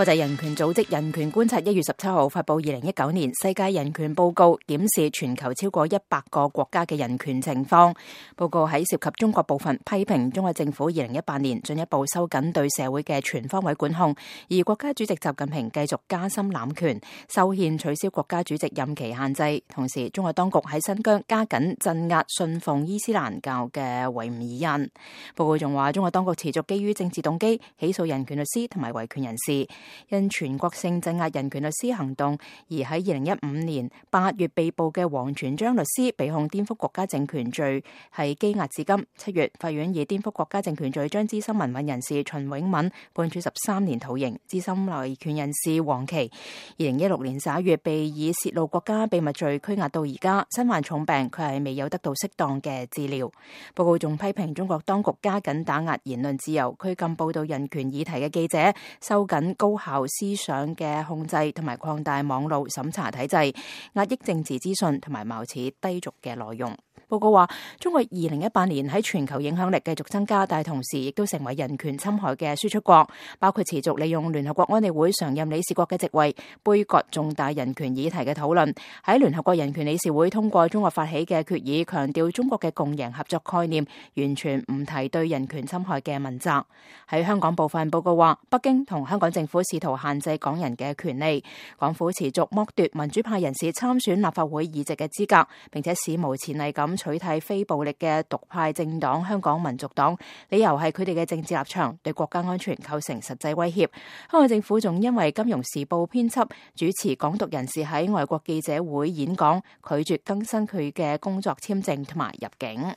國際人權組織人權觀察1月17號發佈2019年世界人權報告，檢視全球超過100個國家嘅人權情況。報告喺涉及中國部分批評中國政府2018年進一步收緊對社會嘅全方位管控，而國家主席習近平繼續加深濫權，修憲取消國家主席任期限制。同時，中國當局喺新疆加緊鎮壓信奉伊斯蘭教嘅維吾爾人。報告仲話，中國當局持續基於政治動機起訴人權律師同埋維權人士。因全國性鎮壓人權律師行動而喺2015年8月被捕嘅王全璋律師被控顛覆國家政權罪，係羈押至今。7月，法院以顛覆國家政權罪將資深民運人士秦永敏判處13年徒刑。資深維權人士黃琦2016年11月被以泄露國家秘密罪拘押到而家，身患重病，佢係未有得到適當嘅治療。報告仲批評中國當局加緊打壓言論自由，拘禁報道人權議題嘅記者，收緊高校思想嘅控制，同埋擴大網絡審查體制，壓抑政治資訊同埋貌似低俗嘅內容。報告話，中國2018年喺全球影響力繼續增加，但係同時亦都成為人權侵害嘅輸出國，包括持續利用聯合國安理會常任理事國嘅席位，杯葛重大人權議題嘅討論。喺聯合國人權理事會通過中國發起嘅決議，強調中國嘅共贏合作概念，完全唔提對人權侵害嘅問責。喺香港部分，報告話，北京同香港政府試圖限制港人嘅權利，港府持續剝奪民主派人士參選立法會議席嘅資格，並且史無前例咁取締非暴力嘅獨派政黨香港民族黨，理由係佢哋嘅政治立場對國家安全構成實際威脅。香港政府仲因為《金融時報》編輯主持港獨人士喺外國記者會演講，拒絕更新佢嘅工作簽證同埋入境。